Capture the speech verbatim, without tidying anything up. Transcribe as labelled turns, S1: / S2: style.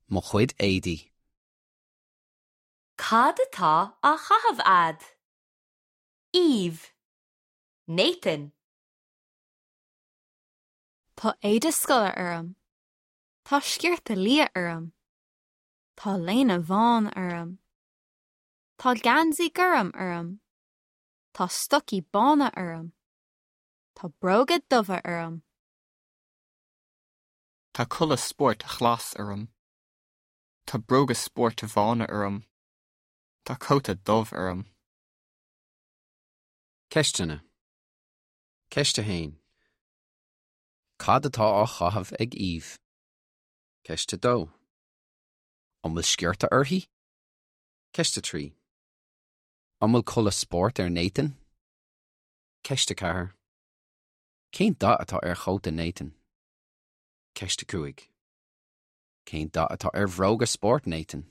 S1: Mo chuid éadaí.
S2: Cad atá á chaitheamh agat? Eve. Nathan.
S3: Tá éide scoile orm. Tá sciorta liath orm. Tá léine bhán orm. Tá geansaí gorm orm. Tá stocaí bána orm. Tá bróga dubha orm.
S4: Tá culaith spóirt ghlas orm. Tá bróga spóirt bhána orm. Tá cóta dubh orm.
S1: Ceisteanna. Ceist a haon. Cad atá á chaitheamh ag Eve? Ceist a dó. An bhfuil sciorta uirthi? Ceist a trí. An bhfuil culaith spóirt ar Nathan? Ceist a ceathair. Cén dath atá ar chóta Nathan? Ceist a cúig. Cén dath atá ar bhróga spóirt Nathan?